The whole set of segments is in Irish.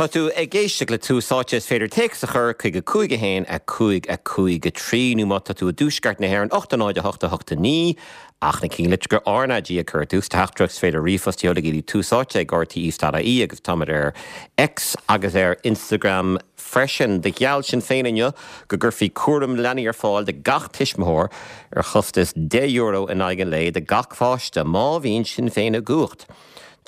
Tá tú ag éisteacht le Tús Áite. Is féidir téacs a chur chuig 5 1 5 5 3 nó má tá tú i dtuaisceart na hÉireann 8 0 8 8 9 ach na cinnlitreacha RnaG a chur ar dtús. Teachtaireacht is féidir ríomhphost a sheoladh go dtí Tús Áite ag rte.ie agus táimid ar X agus ar Instagram freisin. Do gheall Sinn Féin inniu go gcuirfí cúram leanaí ar fáil do gach tuismitheoir ar chostas €10 in aghaidh an lae do gach pháiste má bhíonn Sinn Féin i gcumhacht.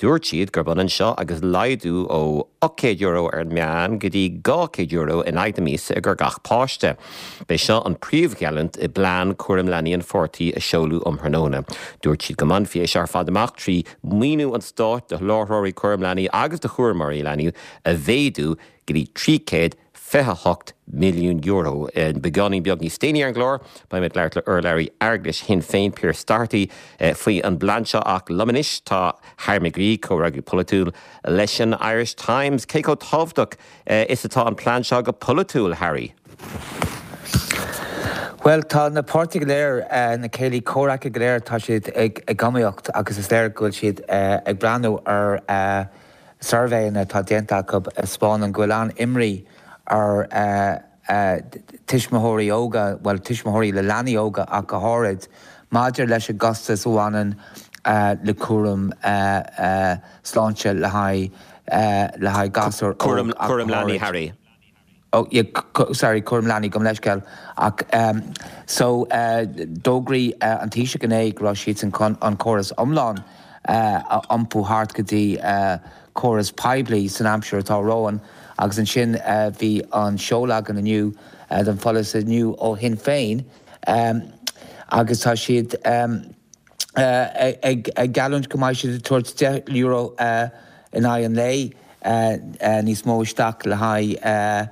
Dúirt siad gurb ionann seo agus laghdú ó €800 ar an meán go dtí €200 in aghaidh na míosa i gcomhair gach páiste. B'é seo an príomhgheallúint i bplean cúram leanaí an pháirtí a seoladh um thráthnóna. Dúirt siad go mbainfí é seo ar fad amach trí mhaoiniú an stáit do sholáthróirí cúram leanaí agus do chúramóirí leanaí a mhéadú go dtí €328 milliún. Beagáinín beag níos déanaí ar an gclár, beidh mé ag labhairt le urlabhraí airgeadais Shinn Féin, Pearse Doherty, faoi an bplean seo ach liom anois tá Harry McGree, comhfhreagraí polaitiúil leis an Irish Times. Cé chomh tábhachtach is atá an plean seo go polaitiúil, Harry? Bhuel, tá na páirtithe go léir, na céilí comhraic go léir, tá siad ag iomaíocht agus is léir go bhfuil siad ag breathnú ar suirbhéanna atá déanta acu a 'spáineann go bhfuil an-imní ar tuismitheoirí óga, bhuel, tuismitheoirí le leanaí óga ach go háirid, maidir leis an gcostas a bhaineann le cúram sláinte le haghaidh le haghaidh gasúr óg ach go háirid. Cúram leanaí, Harry. Oh yeah, sorry, cúram leanaí, gabh mo leithscéal. Ach so d'fhógraigh an Taoiseach inné go raibh siadsan chun an córas iomlán a iompú thart go dtí córas poiblí san aimsir atá romhainn agus ansin bhí an seoladh againn inniu den pholasaí nua ó Shinn Féin agus tá siad ag geallúint go mbeidh siad ag tabhairt €10 in aghaidh an lae níos mó isteach le haghaidh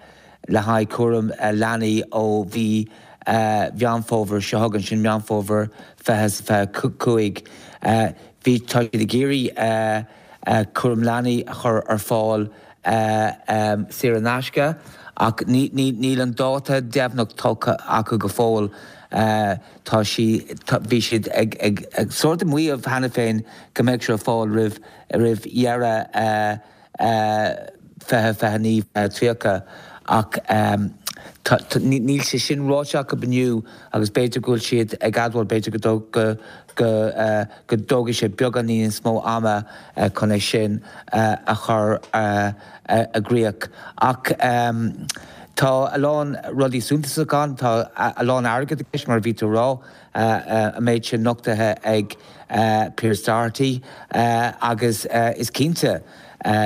le haghaidh cúram leanaí ó mhí Mheán Fómhair seo chugainn, sin Meán Fómhair 2025. Bhí, tá siad ag iarraidh cúram leanaí a chur ar fáil saor in aisce ach níl an dáta deimhneach tugtha acu go fóill. Tá sí, bhí siad ag, ag, ag sórt ag maíomh cheana féin go mbeadh sé ar fáil roimh, roimh dheireadh 2029, 2030 ach tá, tá, níl sé sin ráite acu inniu agus b'fhéidir go bhfuil siad ag admháil, b'fhéidir go, go, go, go dtógfaidh sé beagán níos mó ama chun é sin a chur i gcrích. Ach tá a lán rudaí suntasach ann, tá a lán airgid i gceist, mar a bhí tú a rá, an méid sin nochtaithe ag Pearse Doherty agus is cinnte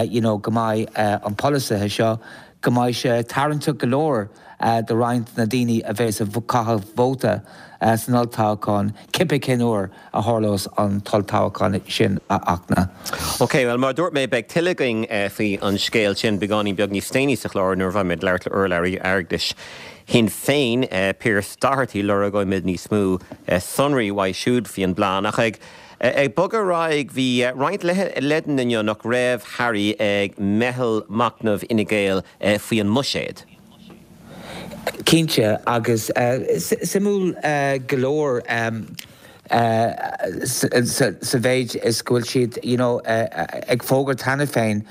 you know go mbeidh an polasaithe seo, go mbeidh sé tarraingteach go leor do roinnt de na daoine a bheas ag caitheamh vóta san olltoghchán, cibé cén uair a tharlós an t-olltoghchán sin, a Fhachtna. Ok, bhuel, mar a dúirt mé, beidh tuilleadh againn faoi an scéal sin beagáinín beag níos déanaí sa chlár nuair a bheidh mé ag labhairt le urlabhraí airgeadais Shinn Féin, Pearse Doherty. Lorgóimid níos mó sonraí uaidh siúd faoi an bplean. Ach ag ag bogadh ar aghaidh, bhí roinnt leideanna inniu nach raibh, Harry, ag meitheal machnaimh Fhine Gael faoi an mbuiséad. Cinnte, agus suimiúil go leor sa mhéid is go bhfuil siad you know ag fógairt cheana féin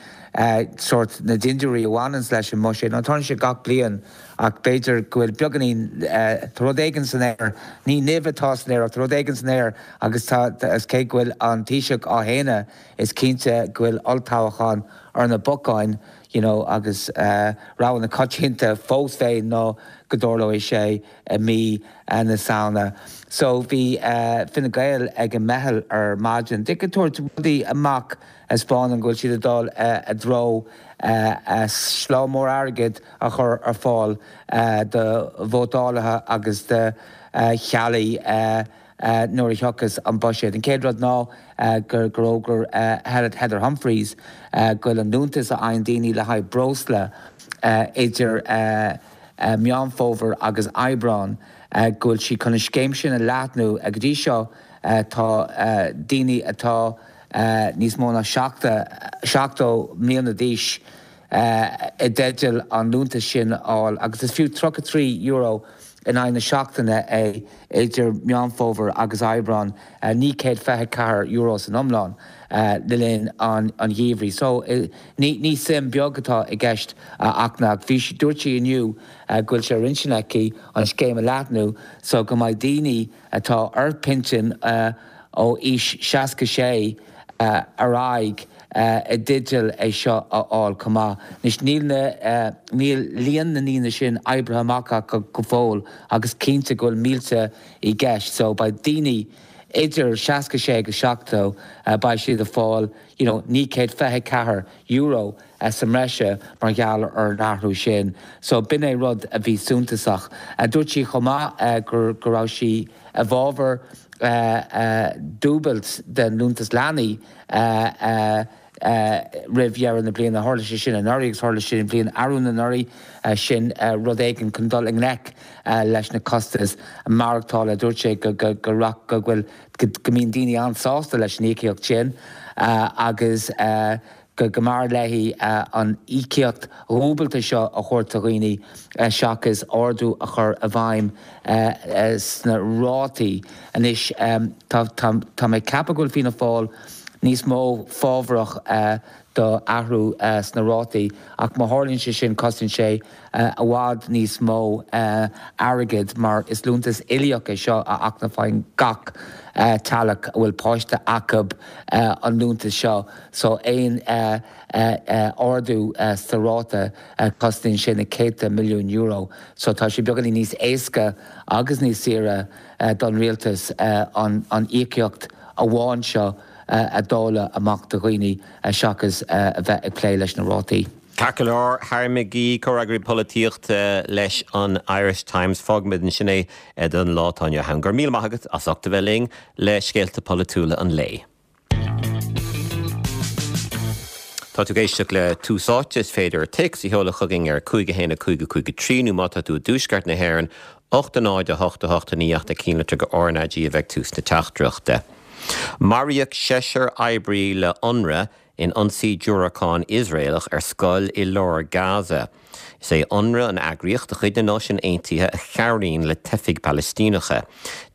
sórt na dindiúirí a bhaineanns leis an mbuiséad. Nó tarlaíonn sé gach bliain ach b'fhéidir go bhfuil beagáinín, tá rud éigin san aer, ní nimh atá san aer ach tá rud éigin san aer agus tá, is cé go bhfuil an Taoiseach á shéanadh is cinnte go bhfuil olltoghchán ar na bacáin. you know agus rogha na coitianta fós féin ná go dtarlóidh sé i mí na Samhna. So bhí Fine Gael ag an meitheal ar maidin. Ag tabhairt rudaí amach a 'spáineann go bhfuil siad ag dul i dtreo sleá mór airgid a chur ar fáil do vótálaithe agus do theaghlaigh nuair a thiocfas an buiséad. An chéad rud ná gur fhógair Heather Humphreys go bhfuil an liúntas a fhaigheann daoine le haghaidh breosla idir Meán Fómhair agus Aibreán, go bhfuil sí chun an scéim sin a leathnú. Go dtí seo tá daoine atá níos mó ná 70 mbliana d'aois i dteideal an liúntas sin a fháil agus is fiú €33. in aghaidh na seachtaine é idir Meán Fómhair agus Aibreán, €924 san iomlán le linn an gheimhridh. So, ní suim beag atá i gceist ach bhí sí, dúirt sí inniu go bhfuil sé ar intinn aici an scéim a leathnú so go mbeidh daoine atá ar pinsean ó aois 66 ar aghaidh i dteideal é seo a fháil chomh maith. Anois níl na, níl líon na ndaoine sin oibrithe amach acu go fóill agus cinnte go bhfuil mílte i gceist so beidh daoine idir 66 agus 70, beidh siad ag fáil you know €924 sa mbreise mar gheall ar an athrú sin. So b'in é rud a bhí suntasach. Dúirt sí chomh maith go raibh sí i bhfabhar dúbailt den liúntas leanaí roimh dheireadh na bliana. Tharla sé sin anuraidh agus tharla sé an bhliain arú anuraidh. Sin rud éigin chun dul i ngleic leis na costais maireachtála. Dúirt sé go go bhfuil go mbíonn daoine an-sásta leis an íocaíocht sin agus go mb'fhearr léi an íocaíocht dhúbailte seo a thabhairt do dhaoine seachas ardú a chur i bhfeidhm sna rátaí. Anois, tá mé ag ceapadh go bhfuil Fianna Fáil níos mó fábharach do athrú sna rátaí ach má tharlaíonn sé sin cosnaíonn sé i bhfad níos mó airgid mar is liúntas uilíoch é seo a fhaigheann faigheann gach teaghlach a bhfuil páiste acu an liúntas seo so aon ardú sa ráta cosnaíonn sé na céadta milliún euro so tá sé beagáinín níos éasca agus níos saoire don rialtas an íocaíocht amháin seo a dháileadh amach do dhaoine seachas a bheith ag plé leis na rátaí. Ceart go leor, Harry McGee, Comhfhreagraí Polaitíochta leis an Irish Times. Fágfaimid ansin é don lá atá inniu ann. Go raibh míle maith agat as ucht a bheith linn le scéalta polaitiúla an lae. Tá tú ag éisteacht le Tús Áite, is féidir téacs a sheoladh chugainn ar 5 1 5 5 3 nó má tá tú i dtuaisceart na hÉireann, 8 0 8 8 9 ach na cinnlitreacha RnaG a bheidh tús na teachtaireachta. Maraíodh seisear oibrí le Unrwa in ionsaí diúracán Iosraelach ar scoil i lár Gaza. Is é Unrwa an eagraíocht de chuid na Náisiún Aontaithe a chabhraíonn le teifigh Phalaistíneacha.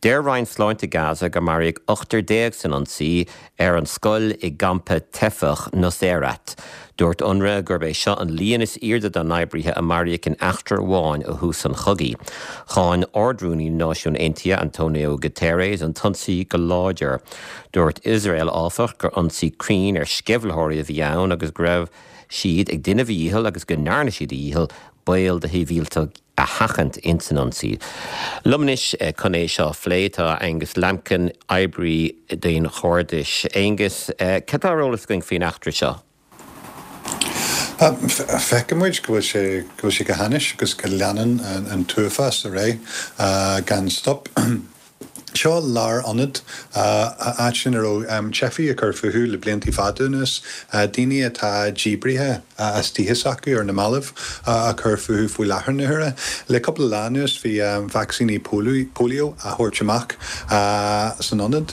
Deir Roinn Sláinte Gaza gur maraíodh ochtar déag san ionsaí ar an scoil i gcampa teifeach Nuseirat. Dúirt Unrwa gurb é seo an líon is airde dá n-oibrithe a maraíodh in eachtra amháin ó thús an chogaidh. Cháin Ard-Rúnaí na Náisiún Aontaithe, Antonio Guterres, an t-ionsaí go láidir. Dúirt Iosrael, áfach, gur ionsaí cruinn ar sceimhlitheoirí a bhí ann agus go raibh siad ag déanamh a dhícheall agus go ndearna siad a dhícheall baol do shibhialtaigh a sheachaint ins an ionsaí. Liom anois chun é seo a phlé tá Angus Lambkin, oibrí daonchairdis. Angus, cad tá ar eolas againn faoin eachtra seo? Feiceann muid go bhfuil sé, go bhfuil sé go hainnis agus go leanann an t-uafás ar aghaidh gan stop. Seo lárionad, áit ina raibh teifigh ag cur fúthu le blianta fada anuas, daoine atá díbrithe as tithe s'acu ar na mallaibh ag cur fúthu faoi láthair na huaire. Le cúpla lá anuas bhí vacsaíní polio á thabhairt amach san ionad.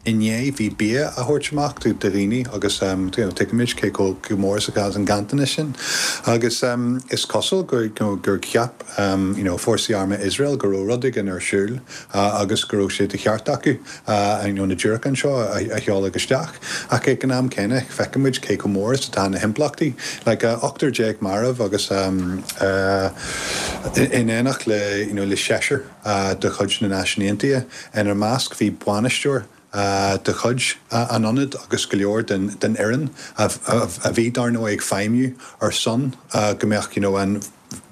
Inné bhí bia á thabhairt amach do dhaoine agus tuigimid cé chomh mór is atá an ganntanas sin. Agus is cosúil gur cheap fórsaí armtha Iosrael go raibh rud éigin ar siúl agus go raibh sé de cheart acu na diúracáin seo a sheoladh isteach. Ach ag an am céanna feicimid cé chomh mór is atá na himpleachtaí. Like 18 marbh agus in éineacht le seisear. de chuid na Náisiún Aontaithe. Ina measc bhí bainisteoir de chuid an ionaid agus go leor den fhoireann a bhí, dar ndóigh, ag feidhmiú ar son go mbeadh you know an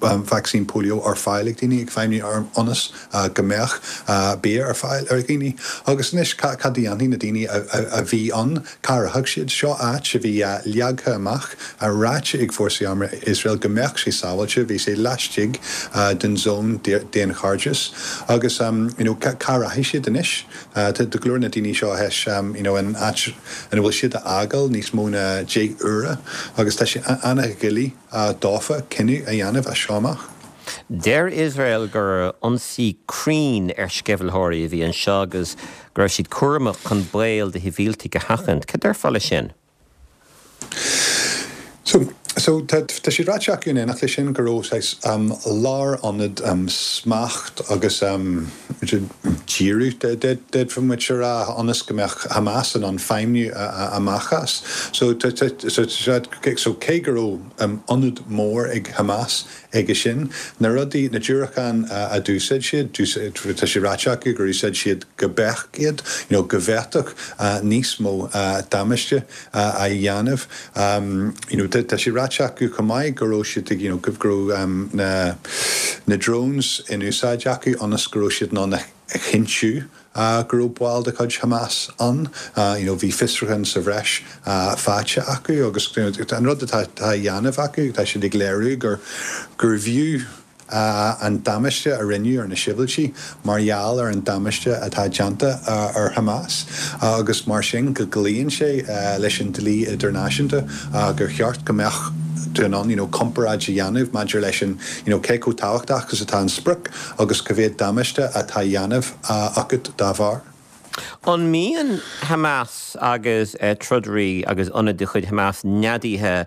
vacsaín polio ar fáil ag daoine, ag feidhmiú ionas go mbeadh bia ar fáil ar dhaoine. Agus anois cad a dhéanfaidh na daoine a bhí ann? Cá rachaidh siad? Seo áit a bhí leagtha amach, ráite ag Fórsaí Armtha Iosrael go mbeadh sé sábháilte, bhí sé laistigh den zón daonchairdis agus you know cá rachaidh siad anois? Tá go leor na daoine seo théis you know an áit ina bhfuil siad a fhágáil níos mó ná 10 uaire agus tá sé an-dhoiligh dófa cinneadh a dhéanamh as seo amach. Deir Iosrael gur ionsaí cruinn ar sceimhlitheoirí a bhí anseo agus go raibh siad cúramach chun baol do shibhialtaigh a sheachaint. Cad déarfá leis sin? So. So tá sé ráite acu in éineacht leis sin go raibh saghas lárionad smacht agus díriú, d'fhéadfadh muid a rá, ionas go mbeadh Hamas in ann feidhmiú amach as. So so cé go raibh ionad mór ag Hamas aige sin, na rudaí, na diúracáin a d'úsáid siad, tá sé ráite acu gur úsáid siad go beacht iad, you know go bhféadfadh níos mó damáiste a dhéanamh. You know, tá sé ráite acu chomh maith go raibh siad ag, you know, go raibh na na drones in úsáid acu ionas go raibh siad in ann a chinntiú go raibh baill de chuid Hamas ann. You know, bhí fiosrúchán sa bhreis faighte acu agus an rud atá á dhéanamh acu, tá siad ag léiriú gur gurbh fhiú an damáiste a rinneadh ar na sibhialtaigh mar gheall ar an damáiste atá déanta ar Hamas agus mar sin go gcloíonn sé leis an dlí idirnáisiúnta gur cheart go mbeadh tú in ann you know comparáid a dhéanamh maidir leis an you know cé chomh tábhachtach is atá an sprioc agus cá mhéad damáiste atá á dhéanamh agat dá bharr. An mbíonn Hamas agus trodairí agus ionaid de chuid Hamas neadaithe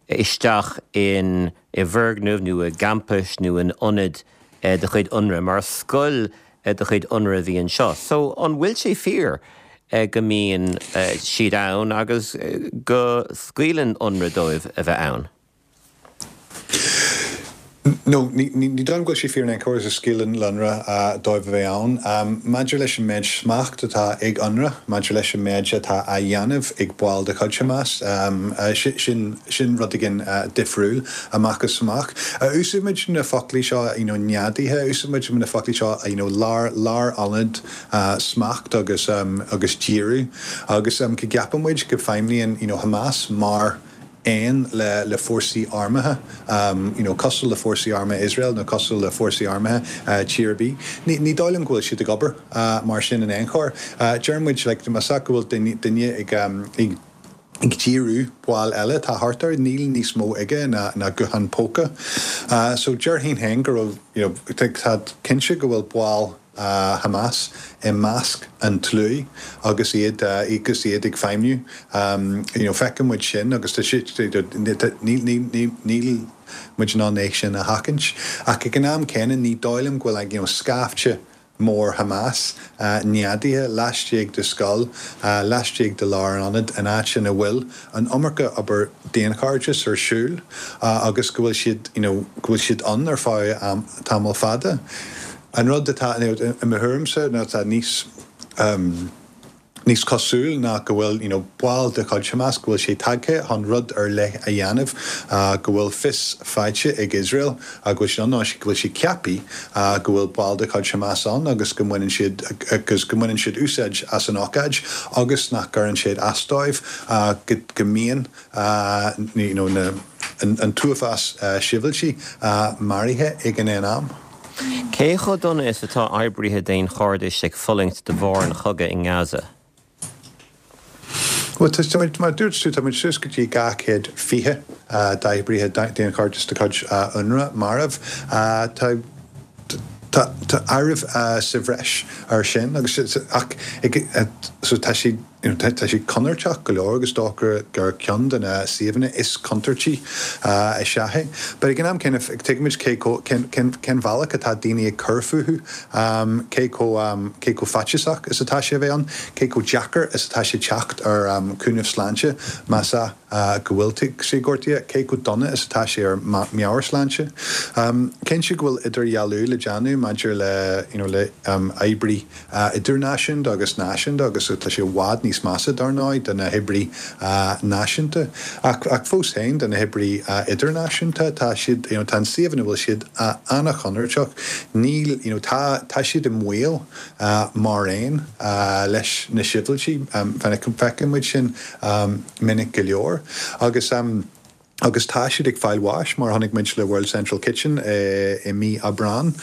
isteach in i bhfoirgnimh nó i gcampais nó in ionaid de chuid Unrwa, mar scoil de chuid Unrwa a bhí anseo. So, an bhfuil sé fíor go mbíonn siad ann agus go scaoileann Unrwa dóibh a bheith ann? No, ní dóigh liom go bhfuil sé fíor in aon chor go scaoileann Unrwa dóibh a bheith ann. Maidir leis an méid smacht atá ag Unrwa, maidir leis an méid atá á dhéanamh ag baill de chuid Hamas, sin sin rud éigin difriúil amach is amach. Úsáidimid na foclaí seo, you know, neadaithe, úsáidimid na foclaí seo, you know, lár, lárionad smacht agus agus díriú agus go gceapann muid go feidhmníonn, you know, Hamas mar aon le le fórsaí armtha, you know, cosúil le fórsaí armtha Iosrael nó cosúil le fórsaí armtha tír ar bith. Ní ní dóigh liom go bhfuil siad ag obair mar sin in aon chor. Deir muid like más ea go bhfuil duine duine ag ag ag díriú baill eile atá thart air, níl níos mó aige ná ná guthán póca. So déarfainn féin go raibh, you know, tá cinnte go bhfuil baill Hamas i measc an tslua agus iad agus iad ag feidhmiú. You know, feiceann muid sin agus tá sé, níl, níl, níl muid in ann é sin a sheachaint. Ach ag an am céanna ní dóigh liom go bhfuil, you know, scaifte mór Hamas neadaithe laistigh de scoil, laistigh de lárionad in áit ina bhfuil an iomarca obair daonchairdis ar siúl agus go bhfuil siad, you know, go bhfuil siad ann ar feadh tamall fada. An rud atá, i mo thuairimse, nó atá níos, níos cosúil ná go bhfuil, you know, baill de chuid Hamas, go bhfuil sé tagtha chun rud ar leith a dhéanamh, go bhfuil fios faighte ag Iosrael, go bhfuil sé ann, nó go bhfuil sé ceaptha go bhfuil baill de chuid Hamas ann agus go mbaineann siad, agus go mbaineann siad úsáid as an ócáid agus nach gcuireann sé as dóibh go, go mbíonn, you know, na, an t-uafás sibhialtaigh maraithe ag an aon am. Cé chomh dona is atá oibrithe daonchairdis ag fulaingt de bharr an chogaidh i nGaza? Bhuel, tá muid, mar a dúirt tú, tá muid suas go dtí 220 d'oibrithe daonchairdis de chuid Unrwa marbh. Tá tá áireamh sa bhreis air sin agus ach so tá siad You know, tá sé contúirteach go leor agus dócha gur ceann de na suíomhanna is contúirtí is ea é. But ag an am céanna, tuigimid cé chomh, cén, cén, cén bhealach atá daoine ag cur fúthu, cé chomh, cé chomh faitíosach is atá sé a bheith ann, cé chomh deacair is atá sé teacht ar chúnamh sláinte más ea go bhfuil tú gortaithe, cé chomh dona is atá sé ar meabhairshláinte. Cinnte go bhfuil idirdhealú le déanamh maidir le, you know, le oibrí idirnáisiúnta agus náisiúnta agus tá sé i bhfad níos measa, dar ndóigh, do na hoibrí náisiúnta. Ach, ach fós féin, do na hoibrí idirnáisiúnta, tá siad, you know, tá an suíomh ina bhfuil siad an-chontúirteach. Níl, you know, tá, tá siad i mbaol mar aon leis na sibhialtaigh. Feiceann muid sin minic go leor. Agus. agus tá siad ag fáil bháis, mar a chonaic muid le World Central Kitchen i mí Aibreán.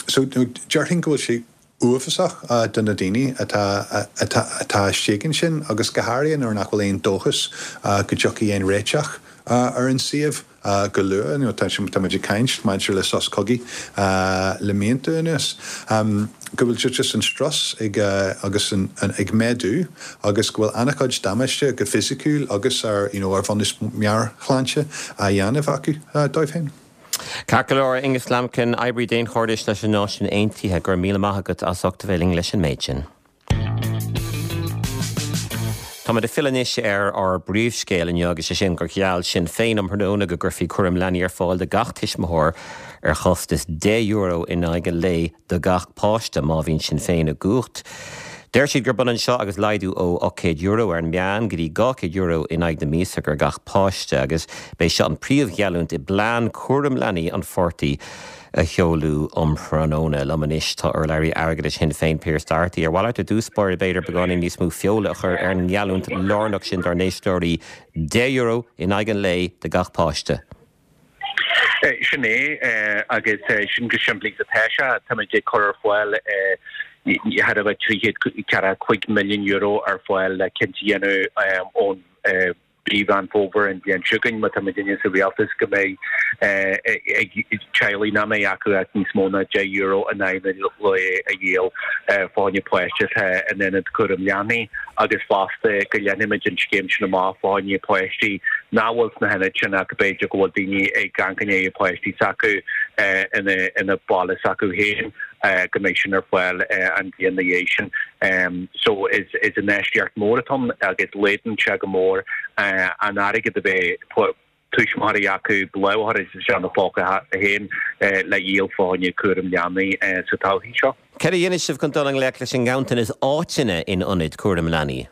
So, déarfainn go bhfuil sé uafásach do na daoine atá atá istigh ansin, agus go háirithe nuair nach bhfuil aon dóchas go dtiocfaidh aon réiteach ar an suíomh go luath. Tá muid ag caint maidir le sos cogaidh le míonta anuas. Go bhfuil just an strus ag agus an ag méadú agus go bhfuil an-chuid damáiste go fisiciúil agus ar you know ar bhunús meabhairshláinte á dhéanamh acu dóibh féin. Ceart go leor, Angus Lambkin, oibrí daonchairdis leis na Náisiúin Aontaithe, go raibh míle maith agat as ucht a bheith linn leis an méid sin. Táimid ag filleadh anois ar ár bpríomhscéal inniu agus sé sin gur gheall Sinn Féin um thráthnóna go gcuirfí cúram leanaí ar fáil do gach tuismitheoir ar chostas €10 in aghaidh an lae do gach páiste má bhíonn Sinn Féin i gcumhacht. Deir siad gurb ionann seo agus laghdú ó €800 ar an meán go dtí €200 in aghaidh na míosa ar gach páiste agus b'é seo an príomhgheallúint i bplean cúram leanaí an pháirtí a sheoladh um thráthnóna. Liom anois tá urlabhraí airgeadais Shinn Féin, Pearse Doherty. Ar mhaith leat ar dtús báire b'fhéidir beagáinín níos mó feola a chur ar an ngeallúint lárnach sin dár n-éisteoirí, €10 in aghaidh an lae do gach páiste? Sin é, agus sin go simplí is atá sé. Táimid ag cur ar fáil thar a bheith €345 milliún ar fáil le cinnte a dhéanamh ón mhí Mheán Fómhair an bhliain seo chugainn, má tá muidinne sa rialtas, go mbeidh ag teaghlaigh nach mbeidh acu ach níos mó ná €10 in aghaidh an lae a dhíol fá choinne páiste atá in ionad cúram leanaí agus fosta go leathnóimid an scéim sin amach fá choinne páistí nach bhfuil sna hionaid sin ach b'fhéidir go bhfuil daoine ag amharc i ndiaidh páistí s'acu ina baile s'acu féin. go mbeidh sin ar fáil an bhliain ina dhiaidh sin. So is infheistíocht mór atá ann agus laghdaíonn sé go mór an airgead a bheidh tuismitheoirí acu lámh a chur isteach ina phóca féin le dhíol fá choinne cúram leanaí sa todhchaí seo. Céard a dhéanfaidh sibh chun dul i ngleic leis an nganntanas áiteanna in ionaid cúraim leanaí?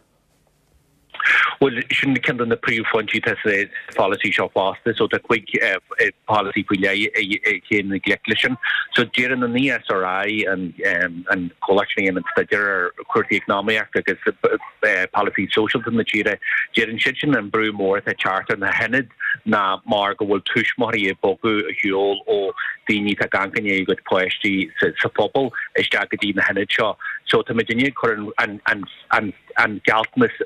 Bhuel, sin ceann de na príomhphointí atá sa pholasaí seo fosta. So tá cuig pholasaí faoi leith a théann i ngleic leis sin. So deireann an ESRI, an comhlacht sin a dhéanann staidéar ar chúrsaí eacnamaíochta agus polasaí sóisialta na tíre, deireann siad sin an brú mór atá ag teacht ar na hionaid ná mar go bhfuil tuismitheoirí ag bogadh ar shiúl ó daoine atá ag amharc i ndiaidh a gcuid páistí sa phobal isteach go dtí na hionaid seo. So tá muidinne ag cur an an an gealltanas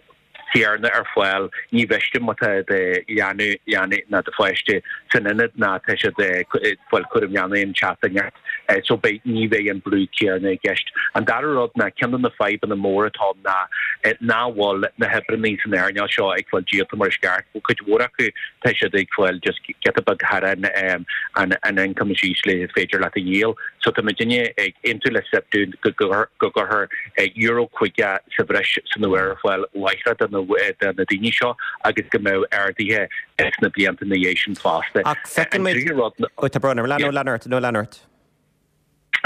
céanna ar fáil, ní mhiste má tá do leanbh, leanbh nó do pháiste san ionad ná tá siad ag fáil cúram leanaí an tseachtain so beidh, ní bheidh an brú céanna i gceist. An dara rud ná ceann de na fadhbanna móra atá ann ná nach bhfuil na hoibreanna san earnáil seo ag fáil díolta mar is ceart. Cuid mhór acu tá siad ag fáil just giota beag thar an an ioncam is ísle is féidir leat a dhíol. So tá muidinne ag aontú le SIPTU go gcuirfear euro 50 sa bhreis san uair ar fáil láithreach do na daoine seo agus go mbeadh arduithe sna blianta ina dhiaidh sin fosta. Ach feiceann muid. Ó, tá brón orm. Lean, lean ort, nó lean ort.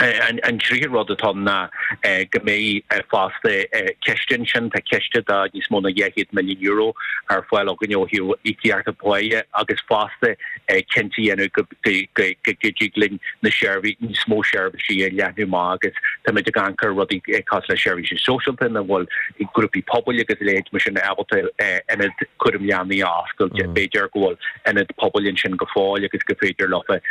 An tríú rud atá ann ná go mbeidh fosta ciste ansin, tá ciste de níos mó ná €200 milliún ar fáil againn ó thaobh íocaíochta páighe agus fosta cinnte a dhéanamh go go dtig linn na seirbhísí, níos mó seirbhísí a leathnú amach agus táimid ag amharc ar rudaí cosúil le seirbhísí sóisialta ina bhfuil grúpaí pobail agus a leithéid mar sin ábalta ionad cúram leanaí a oscailt. B'fhéidir go bhfuil ionad pobail ansin go fóill agus go féidir leofa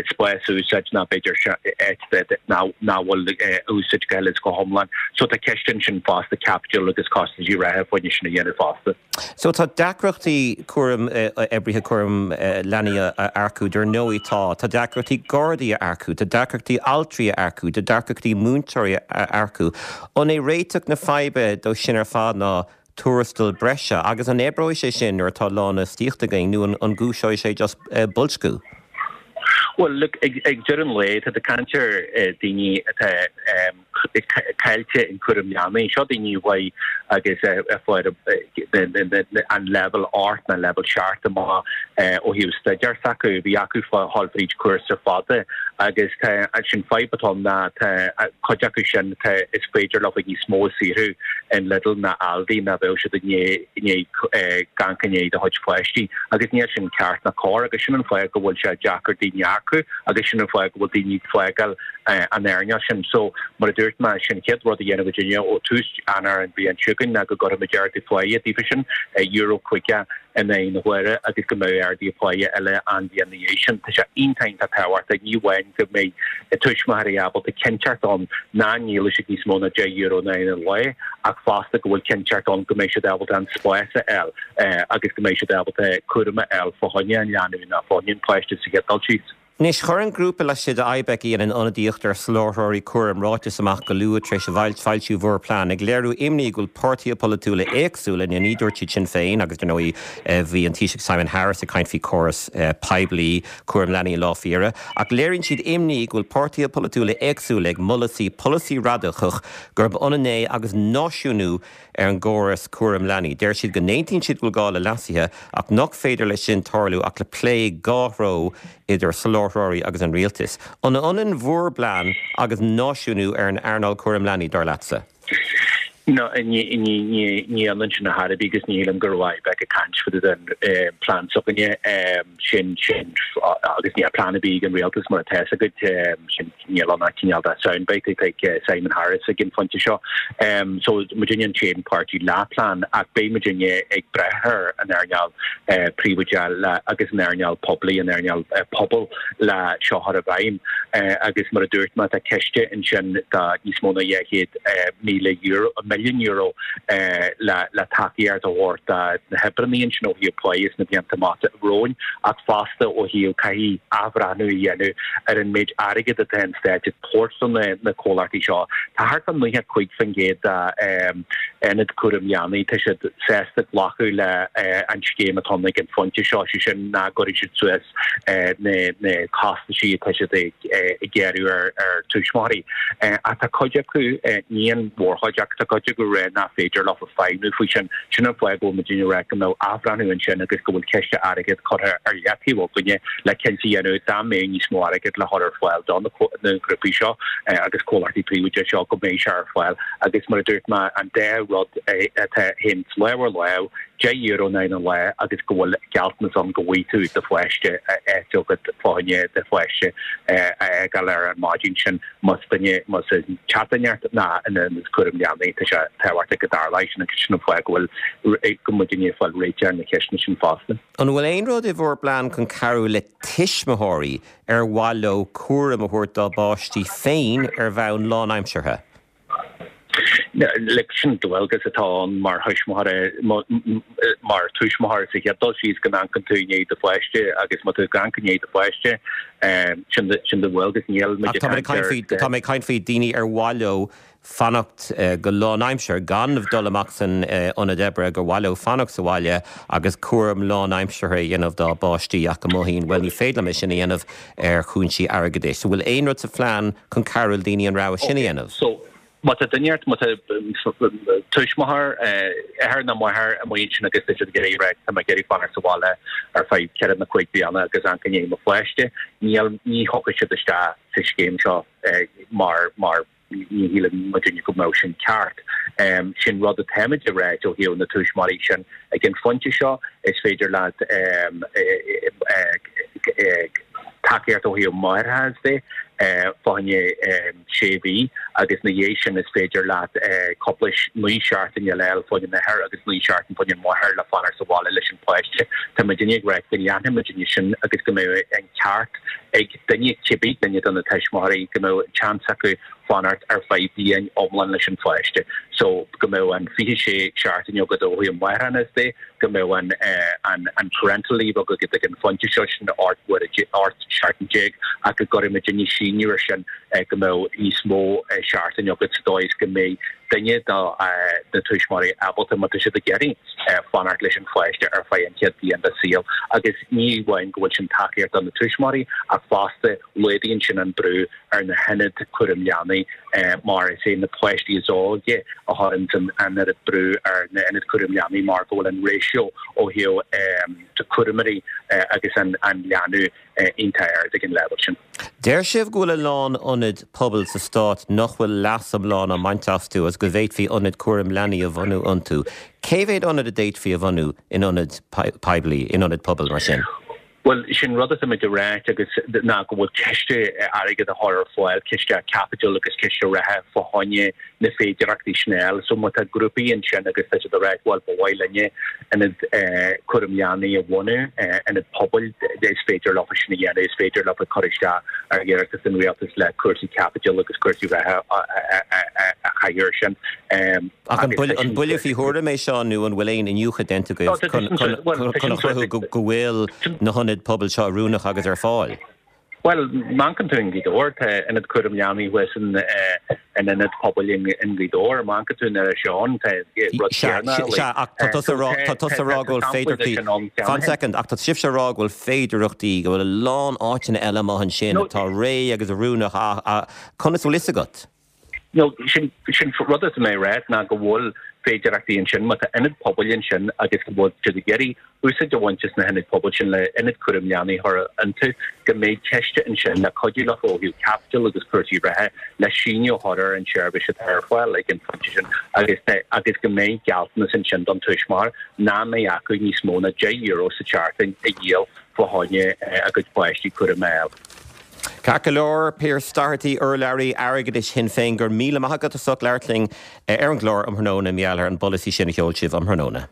spás a úsáid ná b'fhéidir áit nach bhfuil úsáid go huile is go hiomlán. So tá ceist ansin fosta caipitiúil agus costaisí reatha fá choinne sin a dhéanamh fosta. So tá deacrachtaí cúram, oibrithe cúram leanaí a earcú, dar ndóigh tá. Tá deacrachtaí gardaí a earcú, tá deacrachtaí altraí a earcú, tá deacrachtaí múinteoirí a earcú. An é réiteach na faidhbe dó sin ar fad ná tuarastal breise? Agus an oibreoidh sé sin nuair atá lánfhostaíocht againn nó an gcúiseoidh sé just boilsciú? Bhuel, look, ag deireadh an lae, tá tú ag caint ar daoine atá caillte in cúram leanaí. Seo daoine a bhfuil agus a fuair an leibhéal 8 nó leibhéal 7 amach ó thaobh staidéar s'acu. Bhí acu dhul fríd cúrsa fada agus tá sin fadhb atá ann ná tá cuid acu sin tá is féidir leo níos mó a saothrú in Lidl ná Aldi ná bheadh siad i ndiaidh ag amharc i ndiaidh do chuid pháistí agus níl sin ceart ná cóir agus sin an fáth go bhfuil sé deacair daoine a earcú agus sin an fáth go bhfuil daoine ag fágáil an earnáil sin. So, mar a dúirt mé, sin an chéad rud a dhéanfaidh muidinne ó tús Eanáir an bhliain seo chugainn ná go gcuirfimid ardú páighe daofa sin, euro 50 in aghaidh na huaire agus go mbeadh arduithe páighe eile an bhliain ina dhiaidh sin. Tá sé iontach iontach tábhachtach, ní amháin go mbeidh tuismitheoirí ábalta cinnteacht ann nach ndíolfaidh siad níos mó ná €10 in aghaidh an lae ach fosta go bhfuil cinnteacht ann go mbeidh siad ábalta an spás a fháil agus go mbeidh siad ábalta cúram a fháil fá choinne an leanbh nó fá choinne an pháiste sa chéad dul síos. Anois, chuir an grúpa laistigh de IBEC a dhéanann ionadaíocht ar sholáthróirí cúraim ráiteas amach go luath tar éis foilsiú bhur bplean, ag léiriú imní go bhfuil páirtithe polaitiúla éagsúla, ní dúirt siad Sinn Féin agus dar ndóigh bhí an Taoiseach Simon Harris ag caint faoi chóras poiblí cúraim leanaí an lá faoi dheireadh, ach léiríonn siad imní go bhfuil páirtithe polaitiúla éagsúla ag moladh polasaí radacach gurb ionann é agus náisiúnú ar an gcóras cúraim leanaí. Deir siad go n-aontaíonn siad go bhfuil gá le leasuithe ach nach féidir leis sin tarlú ach le plé dhá threo idir soláthróirí agus an rialtas. An ionann bhur bplean agus náisiúnú ar an earnáil cúraim leanaí, dar leatsa? No, ní ionann sin ar chor ar bith agus ní shílim go raibh IBEC ag caint fá dtaobh den plean s'againne. Sin, sin, agus níl plean ar bith ag an rialtas mar atá fhios agat, sin. Níl ann ach cineál de soundbite atá ag Simon Harris ag an phointe seo. So muidinne an t-aon páirtí le plean ach beidh muidinne ag brath ar an earnáil príobháideach agus an earnáil poiblí, an earnáil pobail le seo a chur i bhfeidhm. Agus mar a dúirt mé, tá ciste ansin de níos mó ná €200,000, milliún euro le tacaíocht a thabhairt do na hoibreanna ansin ó thaobh páí sna blianta amach romhainn ach fosta ó thaobh caithfidh athbhreathnú a dhéanamh ar an méid airgid atá an Stát ag tabhairt do na comhlachtaí seo. Tá thart fá 95% d'ionaid cúraim leanaí, tá siad sásta glacadh le an scéim atá ann ag an phointe seo, sé sin nach gcuirfidh siad suas na costaisí atá siad ag gearradh ar tuismitheoirí. Ach tá cuid acu, ní an mhórchuid, ach tá cuid acu ag rá nach féidir leo feidhmiú faoi sin. Sin an fáth go bhfuil muidinne ag rá go mbeadh athbhreathnú ansin agus go bhfuil ciste airgid curtha ar leataobh againne le cinnte a dhéanamh dá mbeadh níos mó airgid le chur ar fáil do na grúpaí seo agus comhlachtaí príobháideacha seo go mbeidh sé ar fáil agus mar a dúirt mé an dá rud atá féin lámh ar lámh, €10 in aghaidh an lae agus go bhfuil gealltanas ann go bhfaighidh tú do pháiste áit agat fá choinne do pháiste a fhágáil ar an maidin sin. Más duine, más teach duine ort ná in ionad cúraim leanaí, tá sé tábhachtach go dtarlóidh sin agus sin an fáth go bhfuil, go bhfuil muidinne ag fáil réiteach ar na ceisteanna sin fosta. An bhfuil aon rud i bhur bplean chun cabhrú le tuismitheoirí ar mhaith leo cúram a thabhairt dá bpáistí féin ar bhonn lánaimseartha? Like, sin dualgas atá ann mar thuismitheoir, mar tuismitheoir sa chéad dul síos go n-amharcann tú i ndiaidh do pháiste agus má tá tú ag amharc i ndiaidh do pháiste, sin sin do dhualgas. Níl muid ag caint ar. Tá mé ag caint faoi daoine ar mhaith leo fanacht go lánaimseartha, gan dul amach san ionad oibre, gur mhaith leo fanacht sa bhaile agus cúram lánaimseartha a dhéanamh dá bpáistí ach go mothaíonn, bhuel ní féidir liom é sin a dhéanamh ar chúinsí airgeadais. So bhfuil aon rud sa phlean chun cabhrú le daoine an rogha sin a dhéanamh? So má tá duine ort, má tá tuismitheoir, athair nó máthair amuigh ansin agus tá siad ag iarraidh rá tá mé ag iarraidh fanacht sa bhaile ar feadh ceithre nó cúig bliana agus amharc i ndiaidh mo pháiste, níl, ní thiocfaidh siad isteach sa scéim seo mar, mar ní shíleann muidinne go mbeadh sin ceart. Sin rud atáimid ag ráit ó thaobh na tuismitheoirí sin ag an phointe seo, is féidir leat tacaíocht ó thaobh máithreachais de fá choinne sé mhí agus ina dhiaidh sin is féidir leat cúpla 9 seachtain a fháil fá choinne an athair agus 9 seachtain fá choinne an mháthair le fanacht sa bhaile leis an pháiste. Tá muidinne ag ráit go leanfaidh muidinne sin agus go mbeidh an ceart ag duine, cibé duine de na tuismitheoirí, go mbeadh seans acu fanacht ar feadh bliain iomlán leis an pháiste. So, go mbeadh an 26 seachtain agat ó thaobh máithreachais de, go mbeadh an an an parental leave agat ag an phointe seo, sin 18 uair, 18 seachtain, ach go gcuirfidh muidinne síneadh air sin go mbeadh níos mó seachtain agat sa dóigh is go mbeidh duine de na tuismitheoirí ábalta, má tá siad ag iarraidh, fanacht leis an pháiste ar feadh an chéad bhliain dá saol agus ní amháin go bhfuil sin tacaíocht do na tuismitheoirí ach fosta laghdaíonn sin an brú ar na hionaid cúraim leanaí mar is é na páistí is óige a chuireann an oiread brú ar na hionaid cúraim leanaí mar go bhfuil an ratio ó thaobh cúramóirí agus an leanbh iontach ard ag an leibhéal sin. Deir sibh go bhfuil a lán ionad pobail sa stát nach bhfuil leas iomlán á mbaint astu agus go bhféadfaí ionaid cúraim leanaí a bhunú iontu. Cé mhéad ionad a d'fhéadfaí a bhunú in ionad poiblí, in ionad pobail mar sin? Bhuel, sin rud atáimid a ráit agus ná go bhfuil ciste airgid a chur ar fáil, ciste caipitil agus ciste reatha fá choinne na féidearthachtaí sin a fháil. So má tá grúpaí ansin agus tá siad ag ráit bhuel ba mhaith linne ionad cúraim leanaí a bhunú, ionad pobail, is féidir leo sin a dhéanamh, is féidir leo cur isteach ar iarratas an rialtais le cúrsaí caipitil agus cúrsaí reatha a chaitheamh air sin. Ach an buille faoi thuairim é seo nó an bhfuil aon iniúchadh déanta agaibh chun a chruthú go bhfuil na hionaid pobail seo oiriúnach agus ar fáil? Bhuel, má amharcann tú i nGaoth Dobhair, tá ionad cúram leanaí thuas in ionad pobail i nGaoth Dobhair. Má amharcann tú in Inis Eoghain, tá rud céanna. Sea, ach tá tusa a rá, tá tusa a rá go bhfuil féidearthachtaí, fan second, ach tá sibhse a rá go bhfuil féidearthachtaí, go bhfuil a lán áiteanna eile amuigh ansin atá réidh agus oiriúnach, ach conas a bhfuil fhios agat? No, sin, sin rud atá mé a rá ná go bhfuil féidearthachtaí ansin, má tá ionad pobail ansin agus go bhfuil siad ag iarraidh úsáid a bhaint as na hionaid pobail sin le ionad cúraim leanaí a chur iontu, go mbeidh ciste ansin le cuidiú leo ó thaobh caipitil agus cúrsaí reatha le síneadh a chur ar an tseirbhís atá ar fáil ag an phointe sin agus agus go mbeidh gealltanas ansin don tuismitheoir nach mbeidh acu níos mó ná €10 sa tseachtain a dhíol fá choinne a gcuid páistí cúram a fháil. Ceart go leor, Pearse Doherty, urlabhraí airgeadais Shinn Féin, go raibh míle maith agat as ucht labhairt linn ar an gclár um thráthnóna, mar gheall ar an bpolasaí sin a sheol sibh um thráthnóna.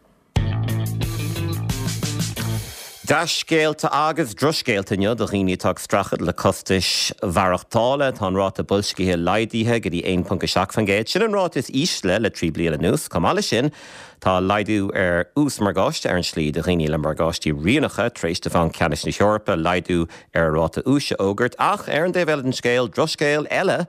Dea-scéalta agus drochscéalta inniu do dhaoine atá ag streachailt le costais mhaireachtála. Tá an ráta boilscithe laghdaithe go dtí 1.7%. Sin an ráta is ísle le 3 bliana anuas. Chomh maith leis sin, Tá laghdú ar ús morgáiste ar an slí do dhaoine le morgáistí rianacha tar éis do Bhanc Ceannais na hEorpa laghdú ar a ráta úis a fhógairt. Ach ar an dtaobh eile den scéal, drochscéal eile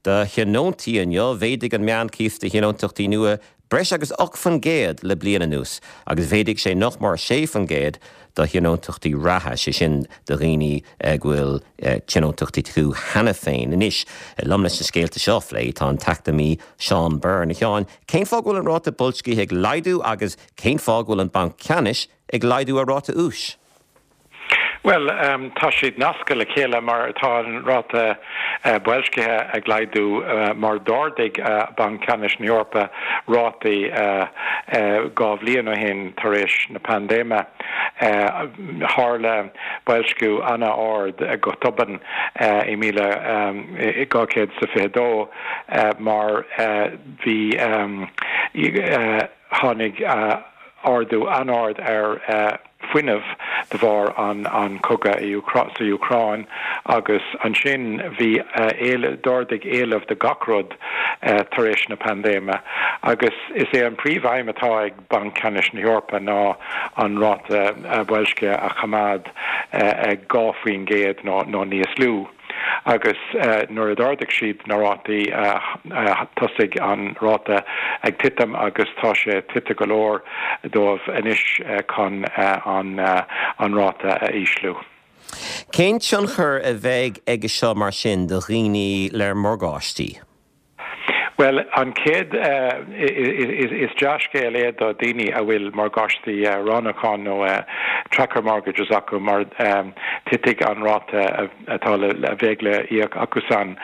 do thionóntaí inniu, mhéadaigh an meánchíos do thionóntachtaí nua breis agus 8% le bliain anuas agus mhéadaigh sé nach mór 6% do thionóntachtaí reatha, sé sin do dhaoine go bhfuil tionóntachtaí acu cheana féin. Anois, liom leis na scéalta seo a phlé tá an t-eacnamaí Seán Byrne. A Sheáin, Cén fáth go bhfuil an ráta boilscithe ag laghdú agus cén fáth go bhfuil an Banc Ceannais ag laghdú a ráta úis? Bhuel, tá siad nasctha le chéile mar tá an ráta boilscithe ag laghdú mar d'ardaigh Banc Ceannais na hEorpa rátaí 2 bhliain ó shin tar éis na paindéime. Tharla boilsciú an-ard go tobann i míle 222 mar Bhí, tháinig ardú an-ard ar fuinneamh de bharr an cogadh sa Úcráin agus ansin bhí d'ardaigh éileamh do gach rud tar éis na paindéime agus is é an príomh-aidhm atá ag Banc Ceannais na hEorpa ná an ráta boilscithe a choimeád ag 2% nó níos lú. Agus nuair a d'ardaigh siad na rátaí thosaigh an ráta ag titim agus tá sé tite go leor dóibh anois chun an ráta a ísliú. Cén tionchar a bheidh aige seo mar sin do dhaoine le morgáistí? Bhuel, an chéad, is dea-scéal é do daoine a bhfuil morgáistí roghnúcháin nó tracker mortgages acu mar titfidh an ráta atá le, a bheidh le íoc acusan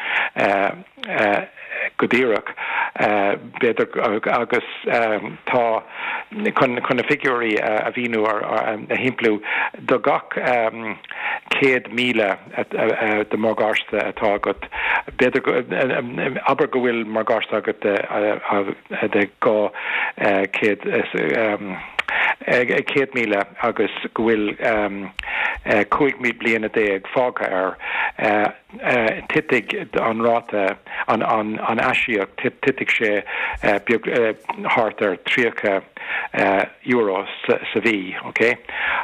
go díreach, b'fhéidir, agus tá, chun na figiúirí a mhíniú, a shimpliú, do gach 100,000 de mhorgáiste atá agat, b'fhéidir go, abair go bhfuil morgáiste agat de 200 100,000 agus go bhfuil 15 bliana fágtha air, titfidh an ráta, an aisíoc, titfidh sé beag, thart ar 30 euro sa mhí, ok?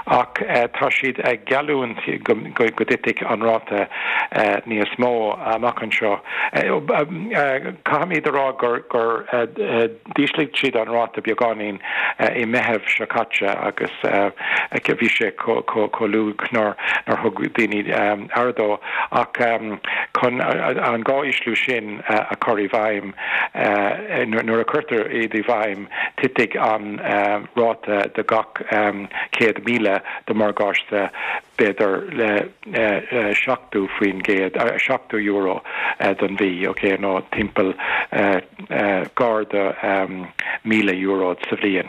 Ach tá siad ag geallúint go dtitfidh an ráta níos mó amach anseo. Caithfimid a rá gur d'ísligh siad an ráta beagáinín i Meitheamh seo caite agus bhí sé chomh lú nár thug daoine aire dó. Ach chun an 2 ísliú sin a chur i bhfeidhm, nuair a chuirtear iad i bhfeidhm, Titfidh an ráta do gach 100,000 de mhorgáiste b'fhéidir le 70%, €70 don mhí, ok, nó timpeall gar do €1,000 sa bhliain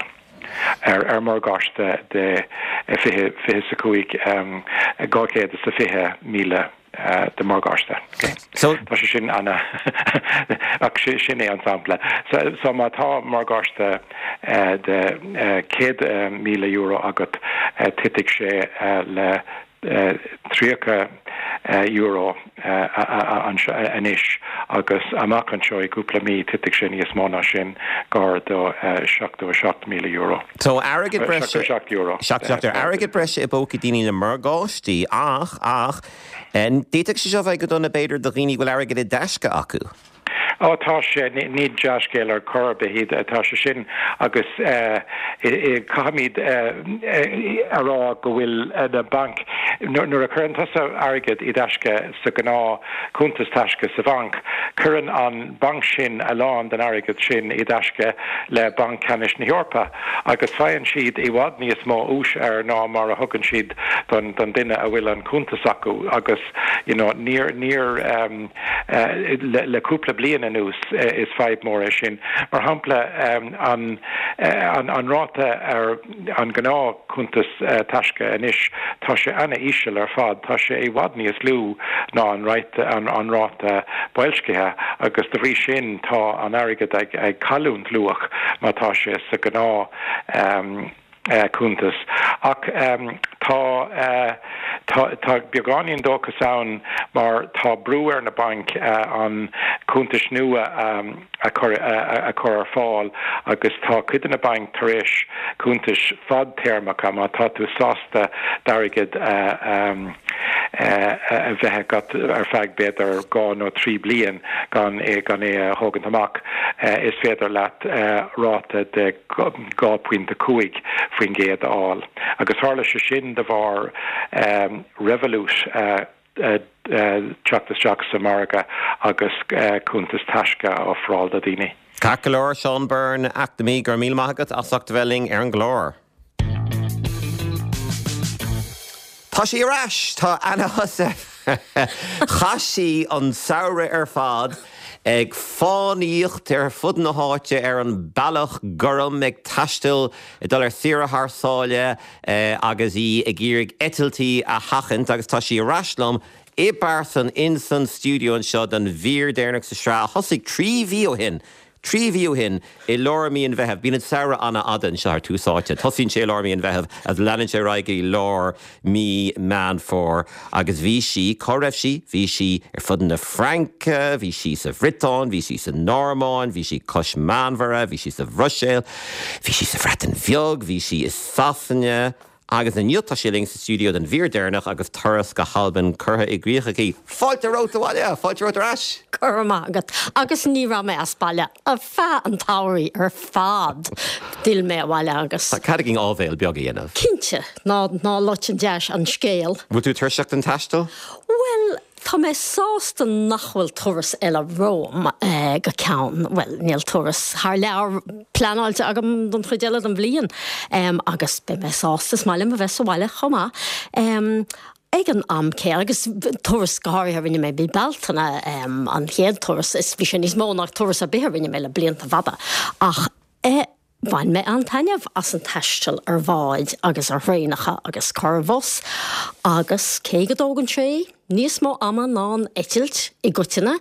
ar mhorgáiste de 25, 220,000. de mhorgáiste. So tá sé sin ana ach sin é an sampla. So má tá morgáiste de €100,000 agat titfidh sé le. €30 anois agus amach anseo i gcúpla mí titfidh sé níos mó ná sin, gar do €77,000. So airgead breise. €77. €77. Airgead breise i bpócaí daoine le morgáistí ach, ach, d'fhéadfadh sé seo a bheith go dona b'fhéidir do dhaoine go bhfuil airgead i dtaisce acu. Ó tá sé, ní dea-scéal ar chor ar bith iad, tá sé sin agus caithfimid a rá go bhfuil na bainc, nuair a chuireann tusa airgead i dtaisce sa ghnáth cuntas taisce sa bhanc, cuireann an banc sin a lán den airgead sin i dtaisce le Banc Ceannais na hEorpa agus faigheann siad i bhfad níos mó úis air ná mar a thugann siad don duine a bhfuil an cuntas acu agus you know níor, níor. Le cúpla bliain anuas is fadhb mór é sin. Mar shampla, an ráta ar an gnáth cuntas taisce anois, tá sé ana-íseal ar fad, tá sé i bhfad níos lú ná an ráta boilscithe agus de bhrí sin tá an airgead ag cailliúint luach má tá sé sa ghnáth cuntas. Ach tá tá beagáinín dóchas ann mar tá brú ar na bainc an cuntais nua a chur a chur ar fáil agus tá cuid de na bainc tar éis cuntais fadtéarmacha, má tá tú sásta d'airgead a a bheith agat ar feadh b'fhéidir 2 nó 3 bliain gan é gan é a thógaint amach, is féidir leat ráta de 2.5% a fháil. Agus tharla sé sin de bharr Revolut teacht isteach sa mhargadh agus cuntas taisce a ofráil do dhaoine. Ceart go leor, Seán Byrne, eacnamaí, go raibh míle maith agat as ucht a bheith linn ar an gclár. Tá sí ar ais! Tá Anna Heussaff! Chaith sí an samhradh ar fad ag fánaíocht ar fud na háite ar an Bealach Gorm, ag taisteal, ag dul ar saoire thar sáile agus í ag iarraidh eitiltí a sheachaint agus tá sí ar ais liom i bpearsan ins an stiúideo anseo don mhír deireanach sa sraith a thosaigh 3 mhí ó shin. 3 mhí ó shin, i lár mí an Mheithimh, bíonn an samhradh an-fhada anseo ar Tús Áite. Tosaíonn sé i lár mí an Mheithimh agus leanann sé ar aghaidh go dtí lár mí Meán Fómhair. Agus bhí sí, cá raibh sí? Bhí sí ar fud na Fraince, bhí sí sa Bhriotáin, bhí sí sa Normáin, bhí sí cois Meánmhara, bhí sí sa Bhruiséil, bhí sí sa Bhreatain Bheag, bhí sí i Sasana. Agus inniu tá sí linn sa stiúideo don mhír deireanach agus turas go hAlbain curtha i gcrích aici. Fáilte romhat abhaile! Fáilte romhat ar ais! Go raibh maith agat. Agus ní raibh mé as baile ar feadh an tsamhraidh ar fad. D'fhill mé abhaile agus. Tá cead againn áibhéil beag a dhéanamh. Cinnte. Ná, ná loit an deas an scéal. Bhfuil tú tuirseach den taisteal? Bhuel, Tá mé sásta nach bhfuil turas eile romham go ceann, bhuel, níl turas thar lear pleanáilte agam don chuid eile den bhliain agus beidh mé sásta, is maith liom a bheith sa bhaile chomh maith. Ag an am céanna, agus turas go háirithe a rinne mé mí Bealtaine, an chéad turas, is bhí sé níos mó ná turas ar bith a rinne mé le blianta fada ach eh, Bhain mé an-taitneamh as an taisteal ar bháid agus ar thraenacha agus carrbhus agus cé go dtógann sé níos mó ama ná an eitilt i gcoitinne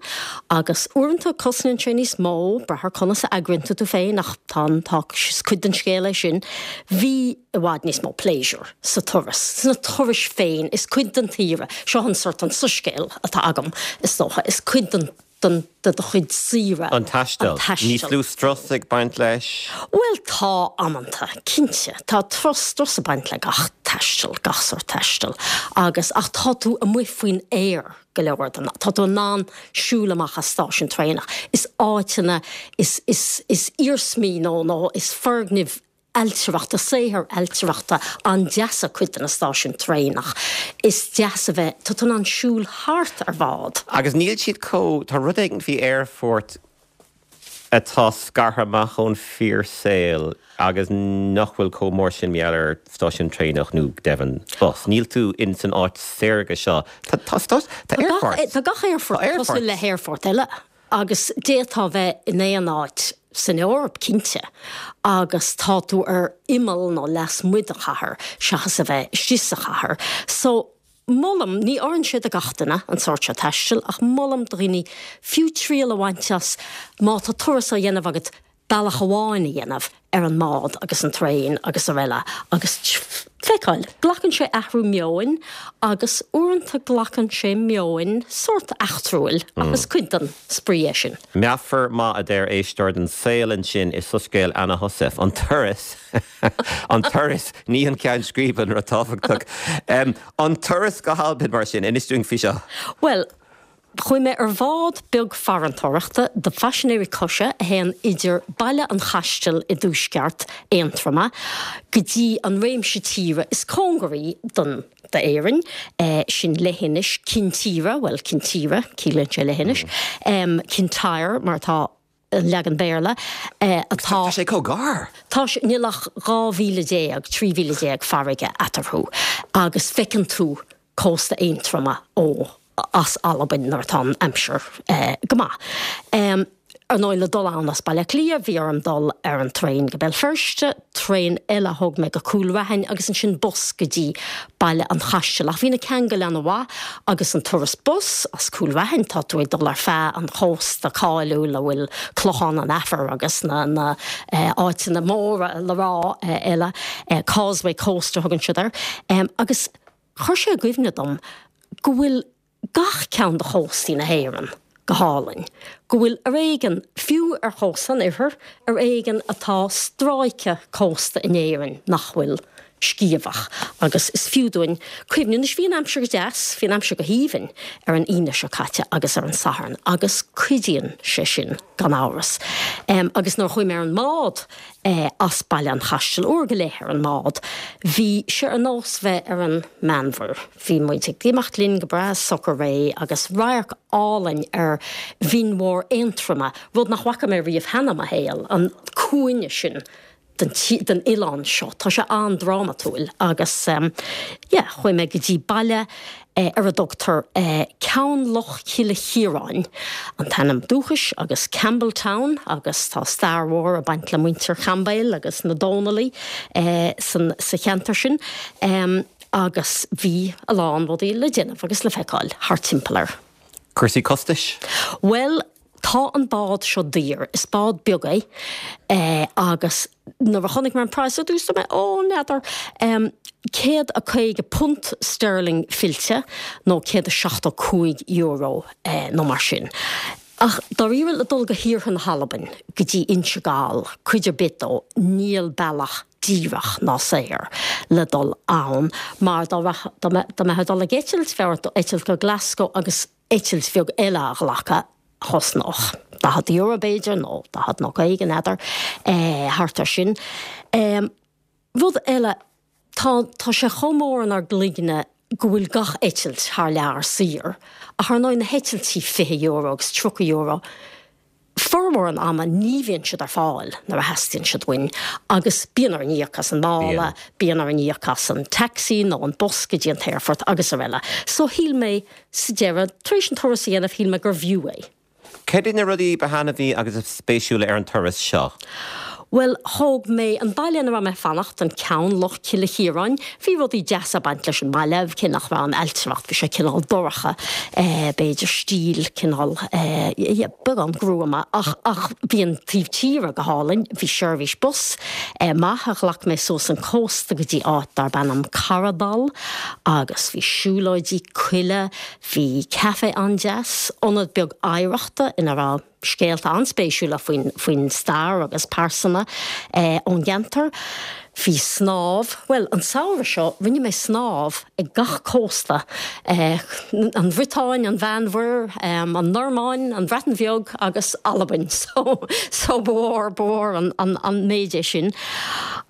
agus uaireanta cosnaíonn sé níos mó, brath ar conas a eagraíonn tú tú féin ach tá an, tá, is cuid den scéal é sin, bhí i bhfad níos mó pléisiúr sa turas, sna turais féin, is cuid den tsaoire, seo an sort an soiscéal atá agam is dócha, is cuid den. den de do chuid saoire. An taisteal. Níos lú strus ag baint leis? Bhuel, tá, amanta, cinnte. Tá strus ag baint le gach taisteal, gach sórt taistil. Agus, ach tá tú amuigh faoin aer go leor den, tá tú in ann siúl amach as stáisiún traenach. Is áiteanna, is, is, is iarsmaí nó, nó is foirgnimh ailtireachta, saothair ailtireachta an-deasa cuid de na stáisiúin traenach. Is deas a bheith, tá tú in ann siúl thart ar bhád. Agus níl siad chomh, tá rud éigin faoi aerfort atá scartha amach ón fíorshaol agus nach bhfuil chomh mór sin mar gheall ar stáisiún traenach nó go deimhin bus. Níl tú in san áit saorga seo. Tá, tá, tá aerfort. Tá gach aerfort cosúil le haerfort eile. Agus d'fhéadfá bheith in aon áit san Eoraip, cinnte, agus tá tú ar imeall nó lasmuigh de chathair seachas a bheith istigh sa chathair. So, molaim, ní oireann sé do gach duine, an sórt seo taistil, ach molaim do dhaoine fiú triail a bhaint as má tá turas á dhéanamh agat, bealach amháin a dhéanamh ar an mbád agus an traein agus araile agus. feiceáil. Glacann sé athrú meoin agus uaireanta glacann sé meoin sórt eachtrúil ach is cuid den spraoi é sin. Meafar maith a deir éisteoir den saol ansin i Soiscéal Anna Heussaff. An turas, an turas, ní an ceann scríbe an rud tábhachtach. An turas go hAlbain mar sin, inis dúinn faoi seo. Bhuel, Chuaigh mé ar bhád beag farantóireachta do phaisinéirí coise a théann idir Baile an Chaistil i dtuaisceart Aontroma go dtí an réimse tíre is cóngaraí don d'Éirinn, sin leithinis Cinn Tíre, bhuel, Kintyre, ciallaíonn sé leithinis, Kintyre mar atá an leagan Béarla, atá. Tá sé chomh gar! Tá sé, níl ach 12 mhíle, 13 mhíle farraige eatarthu agus feiceann tú cósta Aontroma ó as Albain nuair atá an aimsir go maith. Ar ndóigh le dul ann as Baile Átha Cliath bhí orm dul ar an traein go Béal Feirste, traein eile a thóg mé go Cúil Raithin agus ansin bus go dtí Baile an Chaistil. Ach bhí na ceangail ana-mhaith agus an turas bus as Cúil Raithin, tá tú ag dul ar feadh an chósta cáiliúil a bhfuil Clochán an Aifir agus na na áiteanna móra le rá eile, Causeway Coast a thugann siad air. Agus Chuir sé i gcuimhne dom go bhfuil gach ceann de chóstaí na hÉireann go hálainn, go bhfuil ar éigean, fiú ar chósta an oirthir, ar éigean atá stráice cósta in Éirinn nach bhfuil sciamhach agus is fiú dúinn cuimhniú. Anois bhí an aimsir go deas, bhí an aimsir go haoibhinn ar an Aoine seo caite agus ar an Satharn agus cuidíonn sé sin gan amhras. Agus nuair a chuaigh mé ar an mbád, as Baile an Chaistil, uair go leith ar an mbád. Bhí sé ar nós bheith ar an Meánmhuir. Bhí muid ag imeacht linn go breá socair réidh agus radharc álainn ar Bhinn Mhór Aontroma, rud nach bhfaca mé riamh cheana i mo shaol, an cúinne sin den den oileán seo. Tá sé an-drámatúil agus yeah, chuaigh mé go dtí baile ar a dtugtar Ceann Loch Chille Chiaráin, an t-ainm dúchais, agus Campbeltown, agus tá stair mhór ag baint le muintir Chaimbeul agus na Dónallaigh sa cheantar sin, agus bhí a lán rudaí le déanamh agus le feiceáil thart timpeall air. Cúrsaí costais? Bhuel, Tá an bád seo daor. Is bád beag é agus nuair a chonaic mé an praghas ar dtús dúirt mé ó n'fheadar. £150 sterling fillte nó €175 nó mar sin. Ach dáiríre le dul go hiarthar na hAlbain, go dtí Inse Gall, cuid ar bith dó, níl bealach díreach ná saor le dul ann mar dá mbeifeá ag dul ag eitilt, bheadh ort eitilt go Glasgow agus eitilt bheag eile a ghlacadh, a chosnódh €40 b'fhéidir, nó 40 nó 50, n'fheadar, thart ar sin. Rud eile, tá, tá sé chomh mór inár gcloigne go bhfuil gach eitilt thar lear saor, ach ar ndóigh na heitiltí €20 agus €30, Formhór an ama ní bhíonn siad ar fáil nuair a theastaíonn siad uainn agus bíonn orainn íoc as an mála, bíonn orainn íoc as an taxi nó an bus go dtí an t-aerfort agus araile. So shíl mé sa deireadh, tar éis an turas a dhéanamh, shíl mé gurbh fhiú é. Céard iad na rudaí ba thaitneamhaí agus is spéisiúla ar an turas seo? Bhuel, thóg mé an baile ina raibh mé ag fanacht, an Ceann Loch Cille Chiaráin. Bhí rudaí deasa ag baint leis an mbaile, cé nach raibh an ailtireacht, bhí sé cineál dorcha, b'fhéidir, stíl cineál, yeah, beagán gruama, ach, ach bhí an taobh tíre go hálainn. Bhí seirbhís bus maith a ghlac mé suas an cósta go dtí áit darb ainm Carradal agus bhí siúlóidí coille, bhí caife an-deas, ionad beag oidhreachta ina raibh. scéalta an-spéisiúla faoin stair agus pearsana ón gceantar. Bhí snámh, bhuel, an samhradh seo rinne mé snámh ag gach cósta, an Bhriotáin, an Mheánmhuir, an Normáin, an Bhreatain Bheag agus Albain so so ba mhór, ba mhór an méid é sin.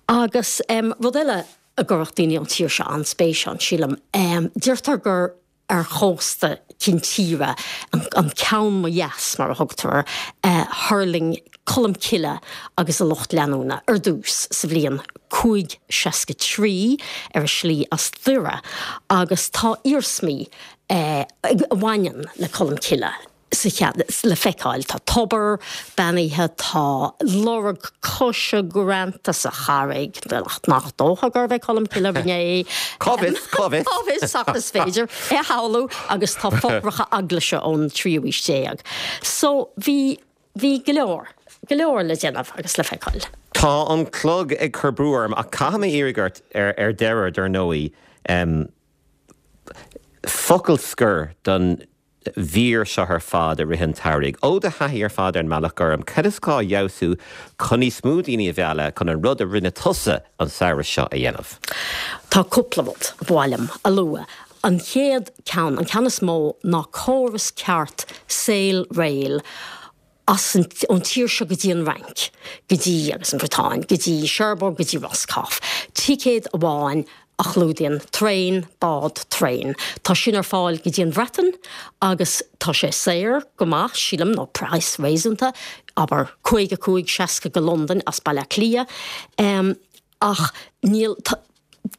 Agus rud eile a gcuirfeadh daoine ón tír seo an-spéis ann, sílim, deirtear gur ar chósta Cinn Tíre, an ceann mo dheas mar a thugtar air, a thuirling Colm Cille agus a lucht leanúna ar dtús sa bhliain 563 ar a slí as Doire agus tá iarsmaí a bhaineann le Colm Cille. sa cheantar le feiceáil. Tá tobar beannaithe, tá lorg coise greanta sa charraig, nach dócha gurbh é Colm Cille a rinne é. Cá bhfios, cá bhfios? Cá bhfios ach is féidir é a shamhlú agus tá fothracha eaglaise ón tríú aois déag. So bhí, bhí go leor. go leor le déanamh agus le feiceáil. Tá an clog ag cur brú orm ach caithfidh mé iarraidh ort ar deireadh, dar ndóigh, focal scoir don mhír seo ar fad i rith an tsamhraidh. Ó do thaithí ar fad ar an mBealach Gorm, cad is gá a fheabhsú chun níos mó daoine a mhealladh chun an rud a rinne tusa an samhradh seo a dhéanamh? Tá cúpla rud ba mhaith liom a lua. An chéad ceann, an ceann is mó, ná córas ceart Sail Rail as an, ón tír seo go dtí an Fhrainc, go dtí, agus an Bhriotáin, go dtí Cherbourg, go dtí Roscoff. Ticéad amháin a chlúdaíonn traein, bád, traein. Tá sin ar fáil go dtí an Bhreatain agus tá sé saor go maith, sílim, nó praghas réasúnta, abair 55, 60 go Londain as Baile Átha Cliath. Ach níl,